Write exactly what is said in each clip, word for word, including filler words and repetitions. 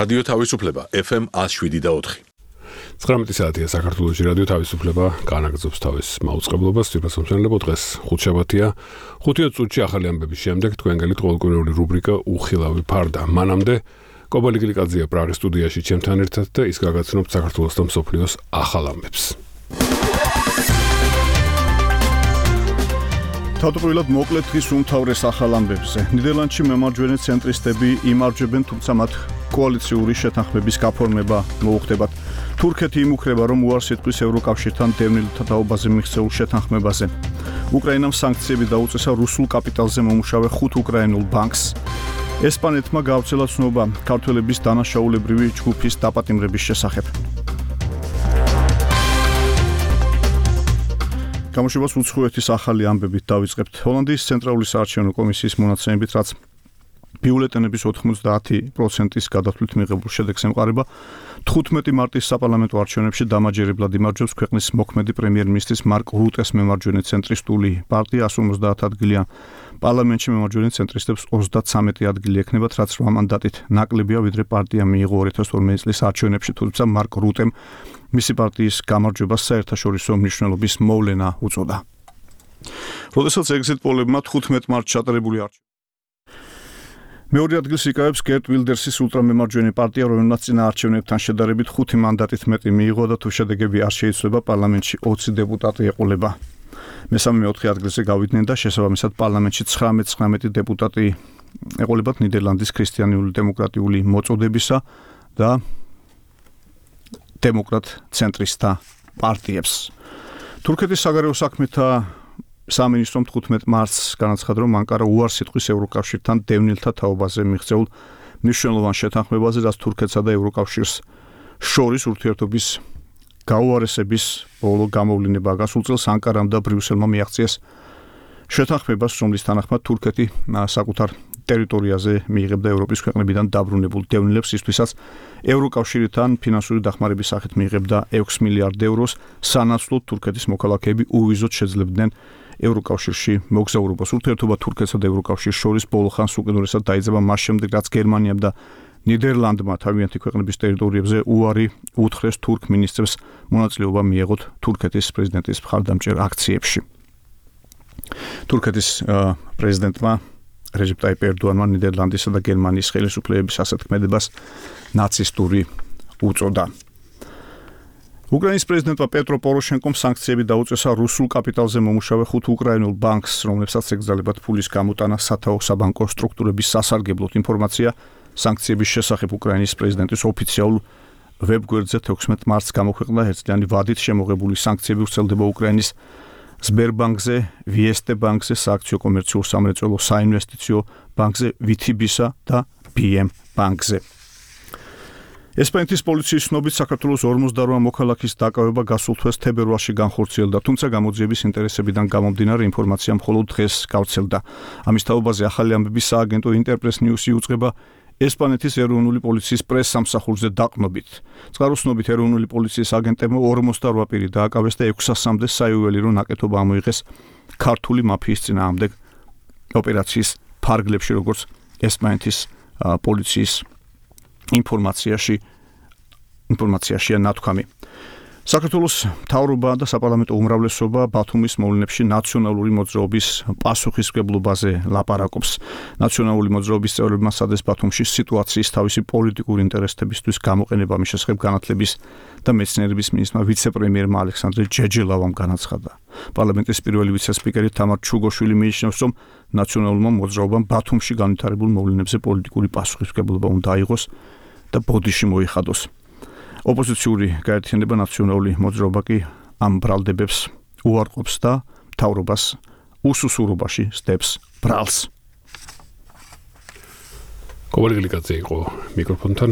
რადიო თავისუფლება ეფ ემ ათს შვიდი და ოთხი. ცხრამეტი საათია საქართველოში რადიო თავისუფლება განაგრძობს თავის მაუწყებლობას. თვითმსახურებო დღეს ხუთშაბათია. ხუთი წუთში ახალი ამბების შემდეგ თქვენ გელით ყოველკვირეული რუბრიკა უხილავი ფარდა. მანამდე კობალი გლიკაძეა პრაღის სტუდიაში ჩემთან ერთად და ის გაგაცნობთ საქართველოს და მსოფლიოს ახალ ამბებს. თავდაპირველად მოკლედ დღის უმთავრეს ახალ ამბებზე. ნიდერლანდში მემარჯვენე ცენტრისტები იმარჯვებენ, თუმცა მათ კოალიციური შეთანხმების გაფორმება მოუხდებათ. თურქეთი იმუქრება, რომ უარს იტყვის ევროკავშირთან დევნილთა თაობაზე მიღწეულ შეთანხმებაზე. უკრაინამ სანქციები დაუწესა რუსულ კაპიტალზე მომუშავე ხუთ უკრაინულ ბანკს. ესპანეთმა გაავრცელა ცნობა ქართველების დანაშაულებრივი ჯგუფის დაპატიმრების შესახებ. გამოშვებას უცხოეთის ახალი ამბებით დავიწყებთ. ჰოლანდიის ცენტრალური საარჩევნო კომისიის მონაცემებით, რაც ბიულეტენების ოთხმოცდაათი პროცენტის გადათვლით მიღებულ შედეგს ემყარება, თხუთმეტი მარტის საპარლამენტო არჩევნებში დამაჯერებლად იმარჯვებს ქვეყნის მოქმედი პრემიერ-მინისტრის მარკ რუტეს მემარჯვენე ცენტრისტული პარტია εκατს ორმოცდაათ ადგილიან. პარლამენტში მემარჯვენე ცენტრისტებს ოცდათსამეტი ადგილი ექნებათ, რაც რვა მანდატით ნაკლებია, ვიდრე პარტიამ მიიღო ორი ათას ორმეტი წლის არჩევნებში, თუმცა მარკ რუტემ მისი პარტიის გამარჯვებას საერთაშორისო მნიშვნელობის მოვლენა უწოდა. როდესაც ეგზიტ პოლებმა თხუთმეტ მარტს ჩატარებული არჩევნები მეორე ადგილს იკავებს გერტ ვილდერსის ულტრამემარჯვენე პარტია, რომელმაც წინა არჩევნებთან შედარებით ხუთი მანდატით მეტი მიიღო და თუ შედეგები არ შეიცვლება, პარლამენტში ოცი დეპუტატი ეყოლება. მესამე მეოთხე ადგილზე გავიდნენ და შესაბამისად პარლამენტში ცხრამეტ ცხრამეტი დეპუტატი ეყოლებათ ნიდერლანდის ქრისტიანული დემოკრატიული მოწოდებისა და დემოკრატ ცენტრისტთა პარტიებს. თურქეთის საგარეო საქმეთა სამინისტრომ თხუთმეტ მარტს განაცხადა, რომ ანკარა უარს იტყვის ევროკავშირთან დევნილთა თაობაზე მიღწეულ მნიშვნელოვან შეთანხმებაზე, რაც თურქეთსა და ევროკავშირს შორის ურთიერთობის გაუარესების ბოლო გამოვლინებაა. გასულ წელს ანკარამ და ბრიუსელმა მიაღწიეს შეთანხმებას, რომლის თანახმად თურქეთი საკუთარ ტერიტორიაზე მიიღებდა ევროპის ქვეყნებიდან დაბრუნებულ დევნილებს, ისთვისაც ევროკავშირთან ფინანსური დახმარების სახით მიიღებდა ექვსი მილიარდ ევროს, სანაცვლოდ თურქეთის მოქალაქეები უვიზოდ შეძლებდნენ ევროკავშირში მოგზაურობას. ურთიერთობა თურქეთსა და ევროკავშირს შორის ბოლო ხანს უკიდურესად დაიძაბა მას შემდეგ, რაც გერმანიამ და ნიდერლანდმა თავიანთი ქვეყნების ტერიტორიებზე უარი უთხრეს თურქ მინისტრებს მონაწილეობა მიეღოთ თურქეთის პრეზიდენტის მხარდამჭერ აქციებში. თურქეთის პრეზიდენტმა რეჯეპ ტაიპ ერდოანმა ნიდერლანდისა და გერმანიის ხელისუფლებების ასეთქმედებას ნაცისტური უწოდა. უკრაინის პრეზიდენტმა პეტრო პოროშენკომ სანქციები დაუწესა რუსულ კაპიტალზე მომუშავე ხუთ უკრაინულ ბანკს, რომლებსაც ეკრძალებათ ფულის გამოტანა სათაო საბანკო სტრუქტურების სასარგებლოდ. ინფორმაცია სანქციების შესახებ უკრაინის პრეზიდენტის ოფიციალურ ვებგვერდზე თექვსმეტ მარტს გამოქვეყნდა. ერთწლიანი ვადით შემოღებული სანქციები ვრცელდება უკრაინის სბერბანკზე, ვიესტე ბანკზე, სააქციო კომერციულ სამრეწველო საინვესტიციო ბანკზე, ვიტიბისა და ბი ემ ბანკზე. ესპანეთის პოლიციის ცნობით საქართველოს ორმოცდარვა მოქალაქის დაკავება გასულ თვეს თებერვალში განხორციელდა, თუმცა გამოძიების ინტერესებიდან გამომდინარე ინფორმაცია მხოლოდ დღეს გავრცელდა. ამის თაობაზე ახალი ამბების სააგენტო ინტერპრეს ნიუსი იუწყება ესპანეთის ეროვნული პოლიციის პრეს-სამსახურზე დაყრდნობით. წყაროსნობით ეროვნული პოლიციის აგენტებმა ორმოცდარვა პირი დააკავეს და ექვსასამდე საიუველირო ნაკეთობა ამოიღეს ქართული მაფიის წინააღმდეგ ოპერაციის ფარგლებში, როგორც ესპანეთის პოლიციის ინფორმაციაში ინფორმაციაშია ნათქვამი. საქართველოს მთავრობა და საპარლამენტო უმრავლესობა ბათუმის მოვლენებში ნაციონალური მოძრაობის პასუხისმგებლობაზე ლაპარაკობს. ნაციონალური მოძრაობის წევრებმა სადეს ბათუმში სიტუაციის თავისი პოლიტიკური ინტერესებისთვის გამოყენება მის შესახებ განათლების და მეცნიერების მინისტრმა ვიცე-პრემიერმა ალექსანდრე ჯეჯელავამ განაცხადა. პარლამენტის პირველი ვიცე-სპიკერი თამარ ჩუგოშვილი მიიჩნევს, რომ ნაციონალურმა მოძრაობამ ბათუმში განვითარებულ მოვლენებზე პოლიტიკური პასუხისმგებლობა უნდა აიღოს და ბოდიში მოიხადოს. ოპოზიციური გაერთიანება ნაციონალური მოძრაობა კი ამ ბრალდებებს უარყოფს და მთავრობას უსუსურობაში სდებს ბრალს. კობალი გლიკაძე იყო მიკროფონთან.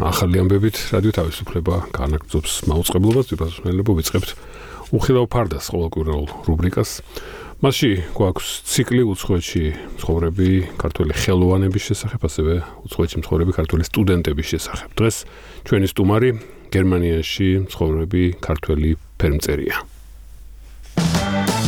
ახალი ამბებით რადიო თავისუფლება განაგრძობს მაუწყებლობას. თვითმსახურებო ვიწყებთ უხილავ ფარდას ყოველკვირეულ რუბრიკას. მასში გვაქვს ციკლი უცხოეთში მცხოვრები ქართველი ხელოვანების შესახებ, ასევე უცხოეთში მცხოვრები ქართველი სტუდენტების შესახებ. დღეს ჩვენი სტუმარი გერმანიაში მცხოვრები ქართველი ფერმწერია.